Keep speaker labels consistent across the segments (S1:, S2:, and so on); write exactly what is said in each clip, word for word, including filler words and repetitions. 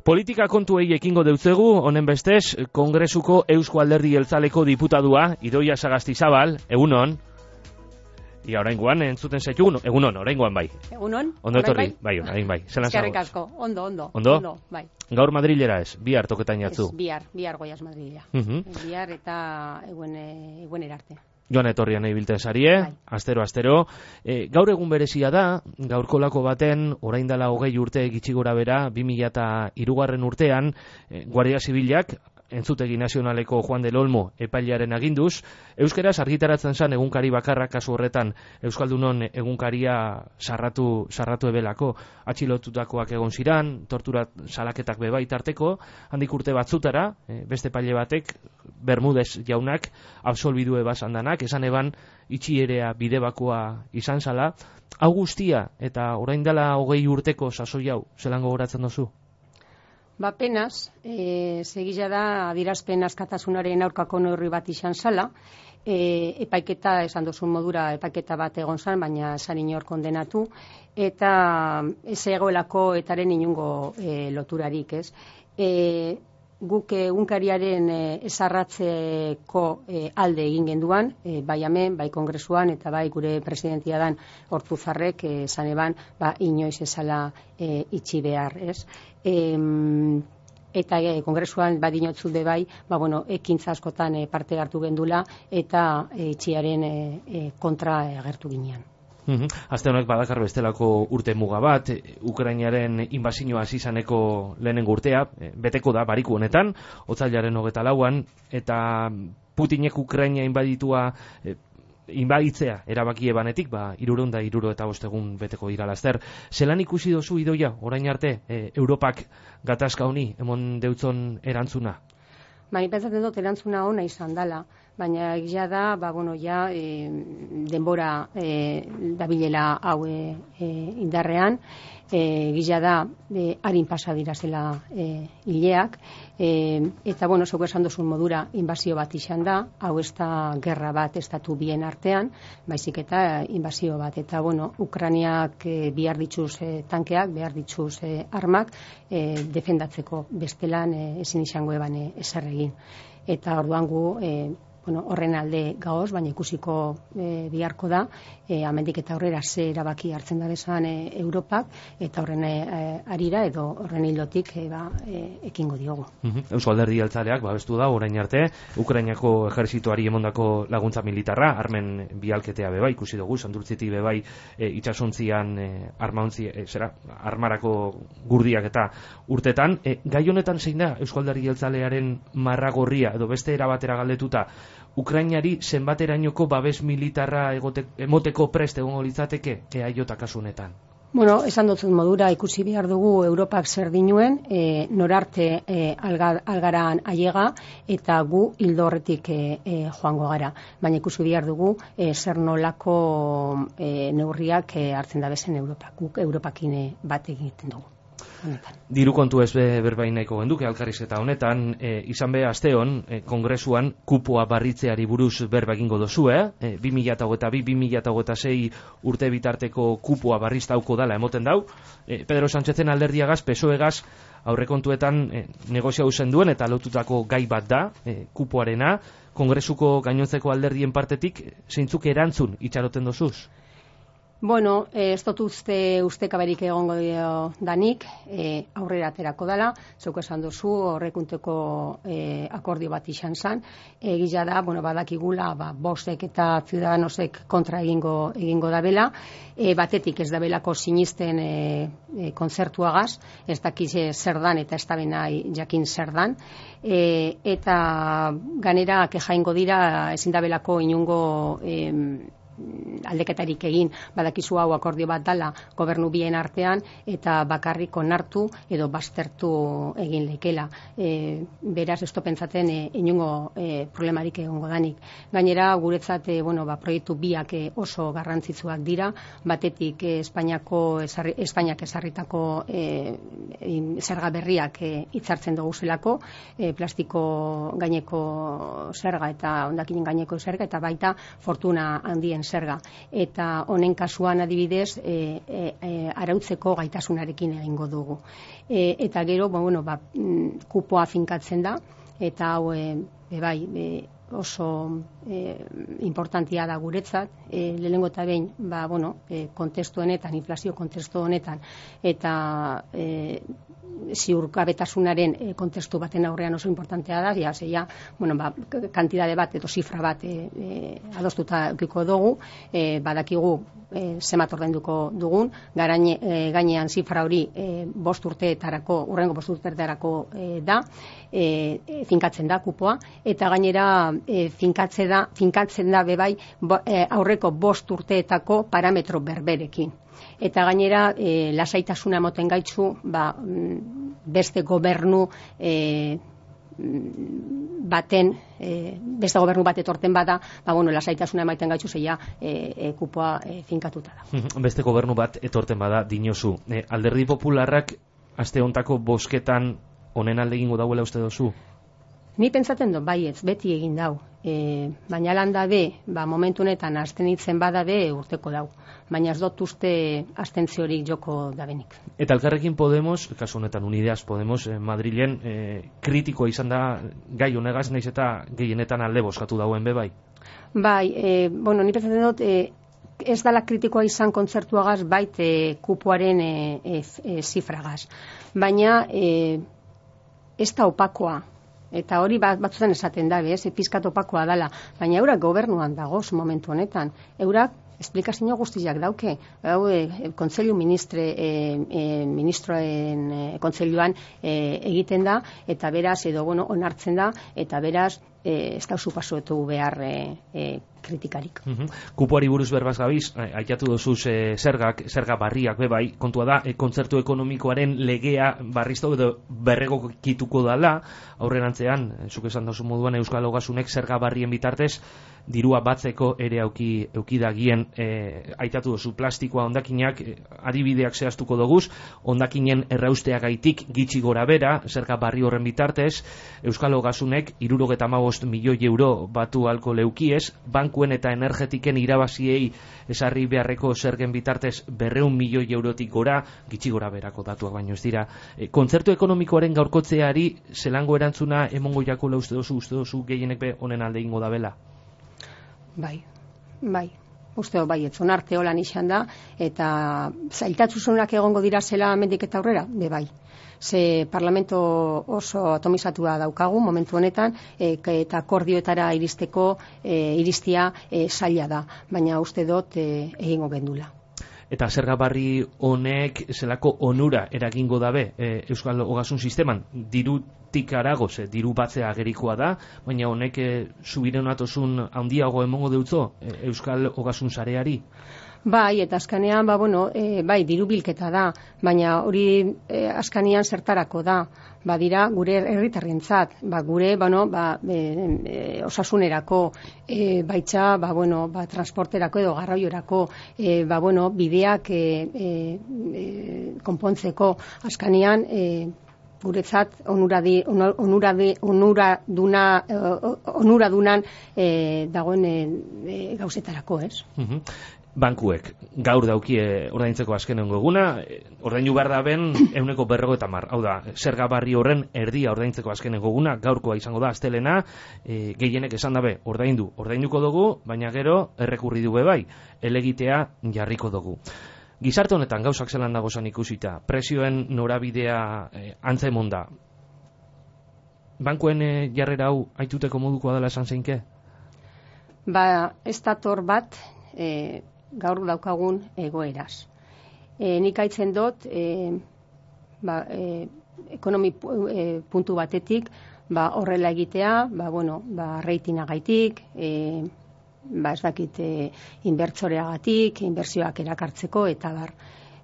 S1: Politika kontuei ekingo deutzegu, honen bestez, Kongresuko Eusko Alderdi Jeltzaleko diputadua, Idoia Sagastizabal, egunon. Ia oraingoan entzuten zaitugun, egunon, oraingoan bai.
S2: Egunon?
S1: Ondo etorri, bai, orain bai.
S2: Eskerrik asko, ondo, ondo.
S1: Ondo?
S2: Ondo, bai.
S1: Gaur Madrilera ez, bihar toketan jatzu.
S2: Ez, bihar, bihar goiaz Madrilera.
S1: Uh -huh.
S2: Bihar eta eguen, eguen erarte.
S1: Joan etorrian ibiltzen sarie,
S2: bai.
S1: astero, astero. E, gaur egun berezia da, gaurkolako baten, orain dela hogei urte gitxi gora bera, bi mila eta hirugarren urtean, e, Guardia Zibilak, Entzutegi Nazionaleko Juan del Olmo epailearen aginduz, euskeraz argitaratzen zen egunkari bakarra kasu horretan Euskaldunon egunkaria sarratu sarratu ebelako, atxilotutakoak egon ziran, tortura salaketak bebai tarteko, handik urte batzutara, e, beste epaile batek, Bermudez jaunak, absolbidu ebasan danak, esan eban itxierea bidebakoa izan zala, hau guztia eta orain dela hogei urteko sasoi hau, zelan gogoratzen duzu?
S2: Ba, penaz, e, segila da adirazpen askatasunaren aurkako neurri bat izan zala, e, epaiketa, esan duzun modura, epaiketa bat egon zan, baina esan inor kondenatu, eta ez egoelako etaren inungo e, loturarik, ez? E, guk egunkariaren e, esarratzeko e, alde egin genduan, e, bai hemen, bai kongresuan, eta bai gure presidentia dan Ortuzarrek e, esan eban, ba, inoiz ezala e, itxi behar, ez? E, eta e, kongresuan badinotzu be bai, ba, bueno, ekintza askotan e, parte hartu gendula, eta e, itxiaren e, e, kontra e, agertu ginean.
S1: Uhum. Aste honek badakar bestelako urte muga bat, Ukrainaren inbasioa hasi izaneko lehenengo urtea, beteko da bariku honetan, otsailaren hogeta lauan, eta Putinek Ukraina inbaditua e, inbaditzea erabaki ebanetik, ba, hirurehun eta hirurogeita bost egun beteko dira laster. Zelan ikusi dozu Idoia, orain arte, e, Europak gatazka honi emon deutzon erantzuna?
S2: Ba, pentsatzen dut erantzuna ona izan dala, baina egia da, ba, bueno, ja, e, denbora e, dabilela hau e, e, indarrean, e, egia da, e, harin pasa dira zela e, hileak, e, eta, bueno, zeuko esan duzun modura, inbazio bat izan da, hau ez da gerra bat estatu bien artean, baizik eta inbazio bat, eta, bueno, Ukrainiak e, behar dituz e, tankeak, behar dituz e, armak, e, defendatzeko bestelan e, ezin izango eban e, ezer egin. Eta orduan gu, e, bueno, horren alde gaoz, baina ikusiko e, biharko da, e, amendik eta aurrera ze erabaki hartzen da bezan e, Europak, eta horren e, arira edo horren hildotik e, ba, e, ekingo diogu.
S1: Uh-huh. Eusko Alderdi Jeltzaleak babestu da orain arte, Ukrainako ejertzitoari emondako laguntza militarra, armen bialketea beba, ikusi dugu, Sandurtzitik bebai e, itxasontzian e, armauntzi, e, zera, armarako gurdiak eta urtetan. E, gai honetan zein da Eusko Alderdi Jeltzalearen marragorria, edo beste erabatera galdetuta, Ukrainari zenbaterainoko babes militarra egote, emoteko prest egongo litzateke E A J kasu honetan?
S2: Bueno, esan dut modura ikusi behar dugu Europak zer dinuen, e, norarte e, alga, algaran aiega, eta gu hildo horretik e, e, joango gara. Baina ikusi behar dugu e, zer nolako e, neurriak e, hartzen da bezen Europak. Guk Europakin e, bat egiten dugu. Honetan.
S1: Diru kontu ez be, berbain nahiko genduke alkarrizketa honetan, e, izan be asteon e, kongresuan kupoa barritzeari buruz berba egingo dozue, e, bi mila hogeita bi bi mila hogeita sei urte bitarteko kupoa barriztauko dala emoten dau, e, Pedro Sánchezen alderdiagaz, P S O E-gaz aurrekontuetan e, negozia usen duen eta lotutako gai bat da, e, kupoarena, kongresuko gainontzeko alderdien partetik, zeintzuk erantzun itxaroten dozuz?
S2: Bueno, ez dut uste ustekaberik egongo dio danik, e, aurrera aterako dela, zeuko esan duzu, horrekunteko e, akordio bat izan zen, egia da, bueno, badakigula, ba, bostek eta ciudadanosek kontra egingo, egingo dabela, e, batetik ez dabelako sinisten e, e, kontzertuagaz, ez dakiz zer dan eta ez da benai jakin zer dan, e, eta ganera kejaingo dira ezin dabelako inungo e, aldeketarik egin, badakizu hau akordio bat dala gobernu bien artean eta bakarrik onartu edo baztertu egin lekela. E, beraz, esto pentsaten e, inungo e, problemarik egongo danik. Gainera, guretzat e, bueno, ba, proiektu biak e, oso garrantzitsuak dira, batetik e, Espainiako esarri, Espainiak esarritako e, e, zerga berriak e, hitzartzen dugu zelako, e, plastiko gaineko zerga eta hondakinen gaineko zerga, eta baita fortuna handien duten zerga. Eta honen kasuan adibidez, e, e, e, arautzeko gaitasunarekin egingo dugu. E, eta gero, ba, bueno, ba, kupoa finkatzen da, eta hau, e, e, bai, e, oso e, importantia da guretzat, e, lehenengo eta behin, ba, bueno, e, kontestu honetan, inflazio kontestu honetan, eta e, ziurgabetasunaren e, kontestu baten aurrean oso importantea da, ja, zeia, bueno, ba, kantidade bat edo zifra bat e, e, adostuta eukiko dugu, e, badakigu e, zemat ordainduko dugun, garaine, e, gainean zifra hori e, bost urteetarako, urrengo bost urteetarako e, da, e, e, finkatzen da kupoa, eta gainera e, finkatze da, finkatzen da bebai bo, e, aurreko bost urteetako parametro berberekin. Eta gainera, e, lasaitasuna moten gaitzu, ba, beste gobernu e, baten, e, beste gobernu bat etorten bada, ba, bueno, lasaitasuna emaiten gaitzu zeia e, e, kupoa e, finkatuta da.
S1: Beste gobernu bat etorten bada, dinozu. E, Alderdi Popularrak aste hontako bozketan honen alde egingo dauela uste dozu?
S2: Ni pentsatzen dut, baietz, beti egin dau. E, baina landa be, ba, momentu honetan abstenitzen bada be urteko dau. Baina ez dut uste abstentziorik joko dabenik.
S1: Eta Elkarrekin Podemos, kasu honetan Unideas Podemos, eh, Madrilen eh, kritikoa izan da gai honegaz, naiz eta gehienetan alde bozkatu dauen be bai?
S2: Bai, e, bueno, ni pentsatzen dut, e, ez dala kritikoa izan kontzertuagaz, bait e, kupoaren e, e, e, zifragaz. Baina e, ez da opakoa. Eta hori bat, batzutan esaten da, bez, pizkat opakoa dala. Baina eurak gobernuan dagoz momentu honetan. Eurak esplikazio guztiak dauke. Hau, e, kontseilu ministre, e, e, ministroen e, kontseiluan e, egiten da, eta beraz, edo, bueno, onartzen da, eta beraz, e, ez da usu pasoetu behar e, e, kritikarik.
S1: Uh-huh. Kupoari buruz berbaz gabiz, aitatu dozuz e, zergak, zerga barriak bebai, kontua da, e, kontzertu ekonomikoaren legea barriztu edo berregokituko dala, aurrerantzean, e, zuk esan dozu moduan Euskal Ogasunek zerga barrien bitartez, dirua batzeko ere auki, eukidagien, e, aitatu dozu plastikoa ondakinak, e, adibideak zehaztuko doguz, ondakinen errausteagaitik gitxi gora bera, zerga barri horren bitartez, Euskal Ogasunek hirurogeta hamabost milioi euro batu alko leukiez, bankuen eta energetiken irabaziei esarri beharreko zergen bitartez berreun milioi eurotik gora, gitxi gora berako datuak baino ez dira. E, kontzertu ekonomikoaren gaurkotzeari zelango erantzuna emongo jakola uste dozu, uste dozu gehienek be honen alde ingo da bela?
S2: Bai, bai. Uste do, bai, etzon arte holan izan da, eta zailtatzuzunak egongo dira zela mendik eta aurrera, be bai. Ze parlamento oso atomizatua daukagu momentu honetan, e, eta akordioetara iristeko e, iristia e, zaila da, baina uste dut e, egingo gendula.
S1: Eta zerga barri honek zelako onura eragingo dabe e, Euskal Ogasun sisteman, dirutik arago, ze diru batzea agerikoa da, baina honek e, subirenatosun handiago emongo deutzo e, Euskal Ogasun sareari?
S2: Bai, eta azkanean, ba, bueno, e, bai, diru bilketa da, baina hori e, azkanean zertarako da, ba, dira gure herritarrentzat, ba, gure, bueno, ba, e, e, osasunerako, e, baitza, ba, bueno, ba, transporterako edo garraioerako, e, ba, bueno, bideak e, e, e, konpontzeko azkanean, e, guretzat onuradi, onuradi, onuraduna, onuradunan e, dagoen e, gauzetarako, ez?
S1: Uh-huh. Bankuek gaur daukie ordaintzeko azkenengo eguna, ordaindu behar da ben ehuneko berrogeita hamar. Hau da, zerga barri horren erdia ordaintzeko azkenengo eguna, gaurkoa izango da astelena, e, gehienek esan dabe ordaindu, ordainduko dugu, baina gero errekurri du bai, elegitea jarriko dugu. Gizarte honetan gauzak zelan dago zan ikusita, presioen norabidea e, antzemon da. Bankuen e, jarrera hau aituteko modukoa dela esan zeinke?
S2: Ba, ez dator bat, e, gaur daukagun egoeraz. E, nik aitzen dut, e, ba, e, ekonomi e, puntu batetik, ba, horrela egitea, ba, bueno, ba, reitinagaitik, e, ba, ez dakit, e, inbertsoreagatik, inbertsioak erakartzeko, eta bar.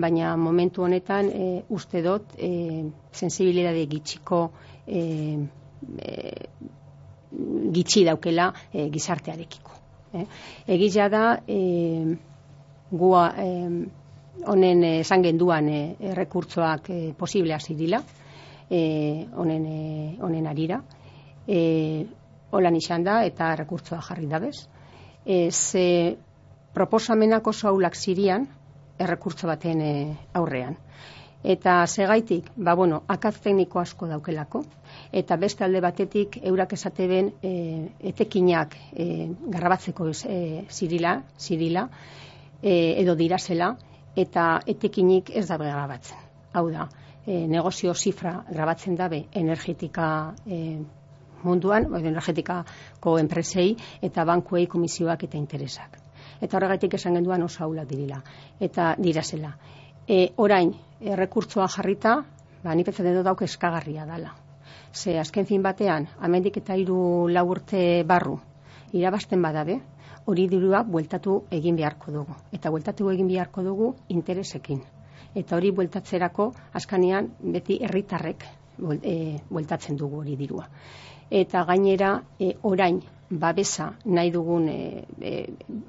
S2: Baina momentu honetan, e, uste dut, e, sensibilidade gitxiko, e, e, gitxi daukela e, gizartearekiko. Eh? Egia da, e, gua honen eh, esan genduan eh, errekurtzoak eh, posible hasi dila, eh, honen, eh, honen arira. Eh, holan izan da eta errekurtzoa jarri dabez. Eh, ze proposamenak oso aulak zirian errekurtso baten e, aurrean. Eta segaitik, ba bueno, akats tekniko asko daukelako, eta beste alde batetik eurak esateben e, etekinak e, garrabatzeko e, zirila, zirila e, edo dirasela, eta etekinik ez dabe grabatzen. Hau da, e, negozio zifra grabatzen dabe energetika e, munduan, edo energetikako enpresei eta bankuei komisioak eta interesak. Eta horregatik esan genduan oso aulak dirila, eta dirasela. E, orain, errekurtsoa jarrita, ba, ni pentsatzen dut dauk eskagarria dala. Ze azken fin batean, amendik eta hiru lau urte barru, irabazten badabe, hori dirua bueltatu egin beharko dugu. Eta bueltatu egin beharko dugu interesekin. Eta hori bueltatzerako, askanean, beti herritarrek bueltatzen dugu hori dirua. Eta gainera, e, orain, babesa nahi dugun, e, e,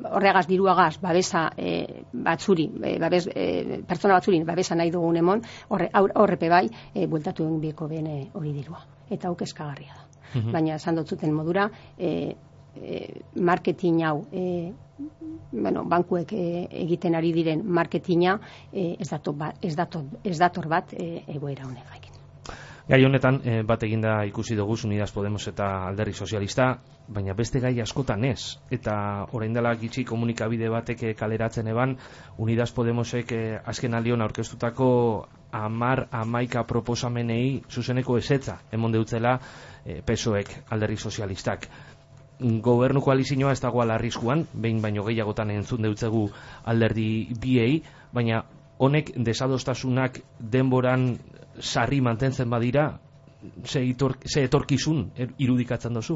S2: horregaz diruagaz, babesa e, batzuri, e, babes, e, pertsona batzurin babesa nahi dugun emon, horre, horrepe bai, e, bueltatu egin bieko bene hori dirua. Eta hau eskagarria da. Mm-hmm. Baina, esan dutzuten modura, e, e, marketing hau, e, bueno, bankuek e, egiten ari diren marketinga e, ez, dator bat, ez, dator, ez dator bat e, egoera honegakin.
S1: Gai honetan, eh, bat eginda ikusi dugu Unidas Podemos eta Alderdi Sozialista, baina beste gai askotan ez. Eta orain dela gitxi komunikabide batek kaleratzen eban, Unidas Podemosek eh, azken aldion aurkeztutako amar amaika proposamenei zuzeneko ezetza emon deutzela eh, P S O Ek Alderdi Sozialistak. Gobernu koalizioa ez dagoela arriskuan, behin baino gehiagotan entzun deutzegu alderdi biei, baina honek desadostasunak denboran sarri mantentzen badira, ze, itor, ze etorkizun irudikatzen dozu?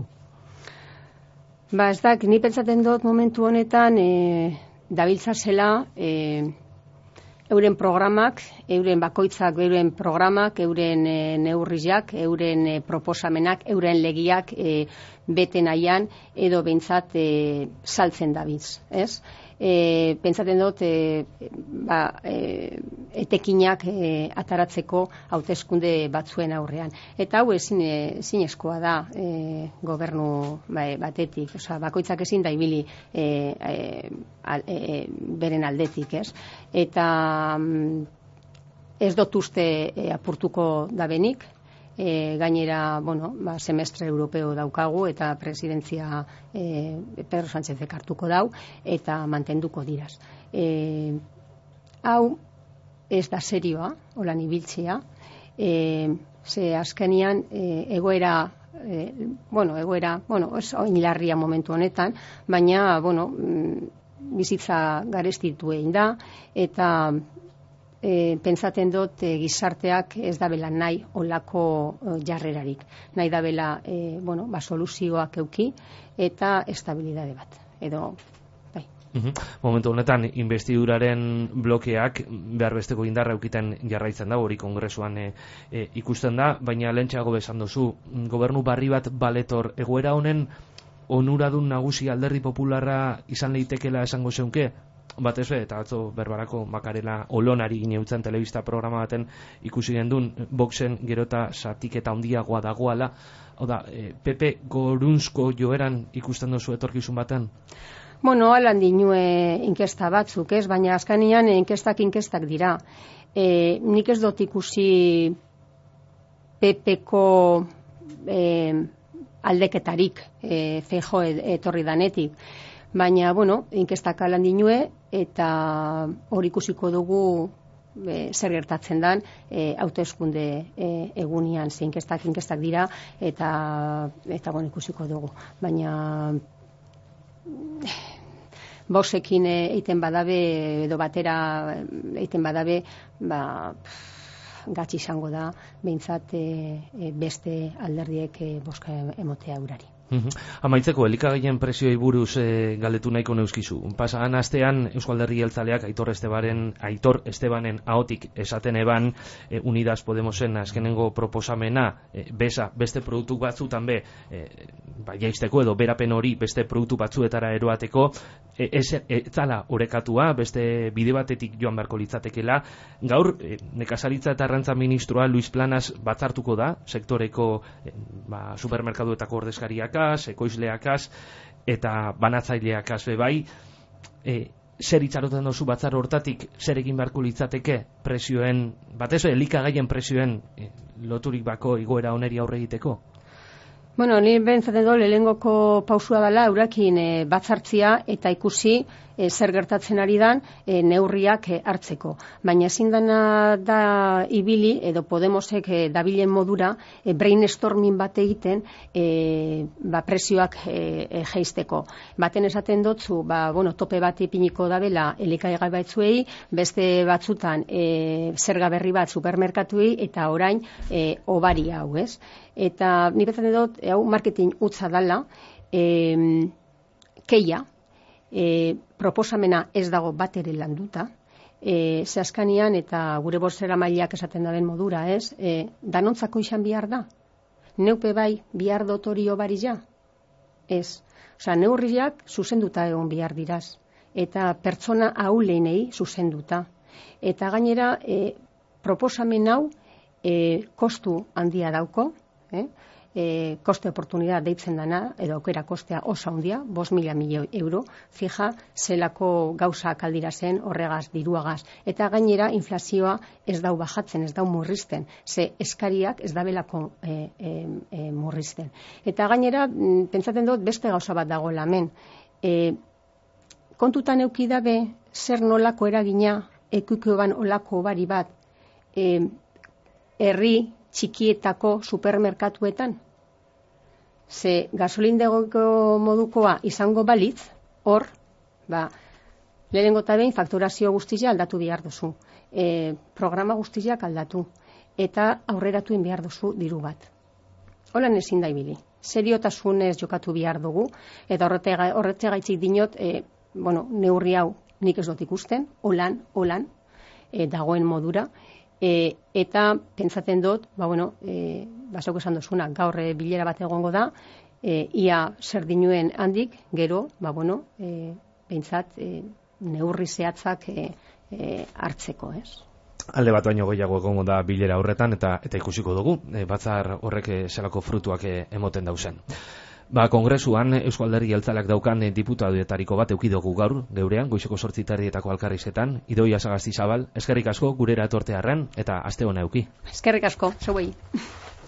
S2: Ba, ez dak, ni pentsaten dut momentu honetan e, dabiltzazela e, euren programak, euren bakoitzak, euren programak, euren e, neurriak, euren e, proposamenak, euren legiak e, bete nahian edo behintzat e, saltzen dabiltz, ez? E, pentsaten dut e, ba, e, etekinak e, ataratzeko hauteskunde batzuen aurrean. Eta hau ezin ezinezkoa da e, gobernu ba, batetik, osea, bakoitzak ezin da ibili e, e, al, e, beren aldetik, ez? Eta ez dut uste e, apurtuko dabenik, E, gainera, bueno, ba, semestre europeo daukagu eta presidentzia e, Pedro Sánchezek hartuko dau eta mantenduko diraz. E, hau ez da serioa, holan ibiltzea, e, ze azkenian e, egoera, e, bueno, egoera, bueno, ez oinlarria momentu honetan, baina, bueno, bizitza garestitu egin da, eta E, pentsaten dut e, gizarteak ez dabela nahi olako e, jarrerarik. Nahi dabela e, bueno, ba, soluzioak euki eta estabilidade bat. Edo, bai.
S1: Uhum. Momentu honetan, investiduraren blokeak behar besteko indarra eukiten jarraitzen da, hori kongresuan e, e, ikusten da, baina lehentxeago besan dozu, gobernu barri bat baletor egoera honen onuradun nagusi Alderdi Popularra izan leitekela esango zeunke? Batez be, eta atzo berbarako Makarela Olonari gineutzen telebista programa baten ikusi gendun, boxen gerota zatiketa handiagoa dagoala. Hau da, e, P P gorunzko joeran ikusten duzu etorkizun baten?
S2: Bueno, alan dinue inkesta batzuk, ez? Baina azkanian inkestak inkestak dira. E, nik ez dut ikusi P P-ko e, aldeketarik e, Feijóo etorri danetik. Baina, bueno, inkestak alan dinue, eta hori ikusiko dugu e, zer gertatzen dan e, hauteskunde e, egunian, ze inkestak inkestak dira, eta, eta bueno, ikusiko dugu. Baina boxekin egiten badabe, edo batera egiten badabe, ba, gatsi izango da, behintzat e, beste alderdiek e, boska emotea urari.
S1: Uhum. Amaitzeko, elikagaien prezioei buruz e, galdetu nahiko neuskizu. Pasagan astean Eusko Alderdi Jeltzaleak Aitor Estebaren, Aitor Estebanen ahotik esaten eban e, Unidas Podemosen azkenengo proposamena e, besa, beste produktu batzutan be e, ba, jaisteko edo berapen hori beste produktu batzuetara eroateko e, ez e, zala orekatua, beste bide batetik joan beharko litzatekela. Gaur, e, nekazaritza eta arrantza ministroa Luis Planas batzartuko da, sektoreko e, ba, supermerkaduetako ordezkariak ekoizleakaz eta banatzaileakaz bebai. e, zer itxaroten dozu batzar hortatik, zer egin beharko litzateke presioen, batez elikagaien presioen e, loturik bako igoera oneri aurre egiteko?
S2: Bueno, ni bentzaten do, lehengoko pausua dela eurakin e, batzartzia eta ikusi e, zer gertatzen ari dan e, neurriak e, hartzeko. Baina ezin dana da ibili, edo Podemosek e, dabilen modura, e, brainstorming bat egiten e, ba, presioak e, e, jeisteko. Baten esaten dotzu, ba, bueno, tope bat ipiniko dabela elikagai batzuei, beste batzutan e, zerga berri bat supermerkatuei, eta orain e, obari hau, ez? Eta ni bezaten dut, hau marketing utza dala, e, keia, e, proposamena ez dago bat ere landuta, e, zehaskanian eta gure borzera mailak esaten daben modura, ez? E, danontzako izan bihar da? Neupe bai bihar dotorio bari ja? Ez. Osa, neurriak zuzenduta egon bihar diraz. Eta pertsona ahuleinei zuzenduta. Eta gainera, e, proposamen hau e, kostu handia dauko, Eh? E, koste oportunidad deitzen dana, edo aukera kostea oso handia, bost mila milioi euro, fija, zelako gauza kaldira zen horregaz, diruagaz. Eta gainera, inflazioa ez dau bajatzen, ez dau murrizten, ze eskariak ez dabelako e, e, e, murrizten. Eta gainera, pentsaten dut, beste gauza bat dago lamen. E, kontutan eukidabe, zer nolako eragina, ekuikoban olako bari bat, e, herri, txikietako supermerkatuetan. Ze gasolindegoko modukoa izango balitz, hor, ba, lehenengo eta behin fakturazio guztia aldatu behar duzu. E, programa guztiak aldatu. Eta aurreratuen behar duzu diru bat. Holan ezin da ibili. Seriotasunez jokatu behar dugu. Eta horretze gaitzik dinot, e, bueno, neurri hau nik ez dut ikusten, holan, holan, e, dagoen modura. E, eta pentsaten dut, ba bueno, e, basok esan duzuna, gaur e, bilera bat egongo da, e, ia zer dinuen handik, gero, ba bueno, e, behintzat e, neurri zehatzak e, e, hartzeko, ez?
S1: Alde bat baino gehiago egongo da bilera horretan, eta eta ikusiko dugu, e, batzar horrek e, zelako frutuak e, emoten dauzen. Ba, kongresuan Eusko Alderdi Jeltzaleak daukan diputadoetariko bat eduki dugu gaur, geurean, goizeko zortzi terdietako Alkarrizetan, Idoia Sagasti Zabal, eskerrik asko gurera etortearren, eta aste hona eduki.
S2: Eskerrik asko, zeuei.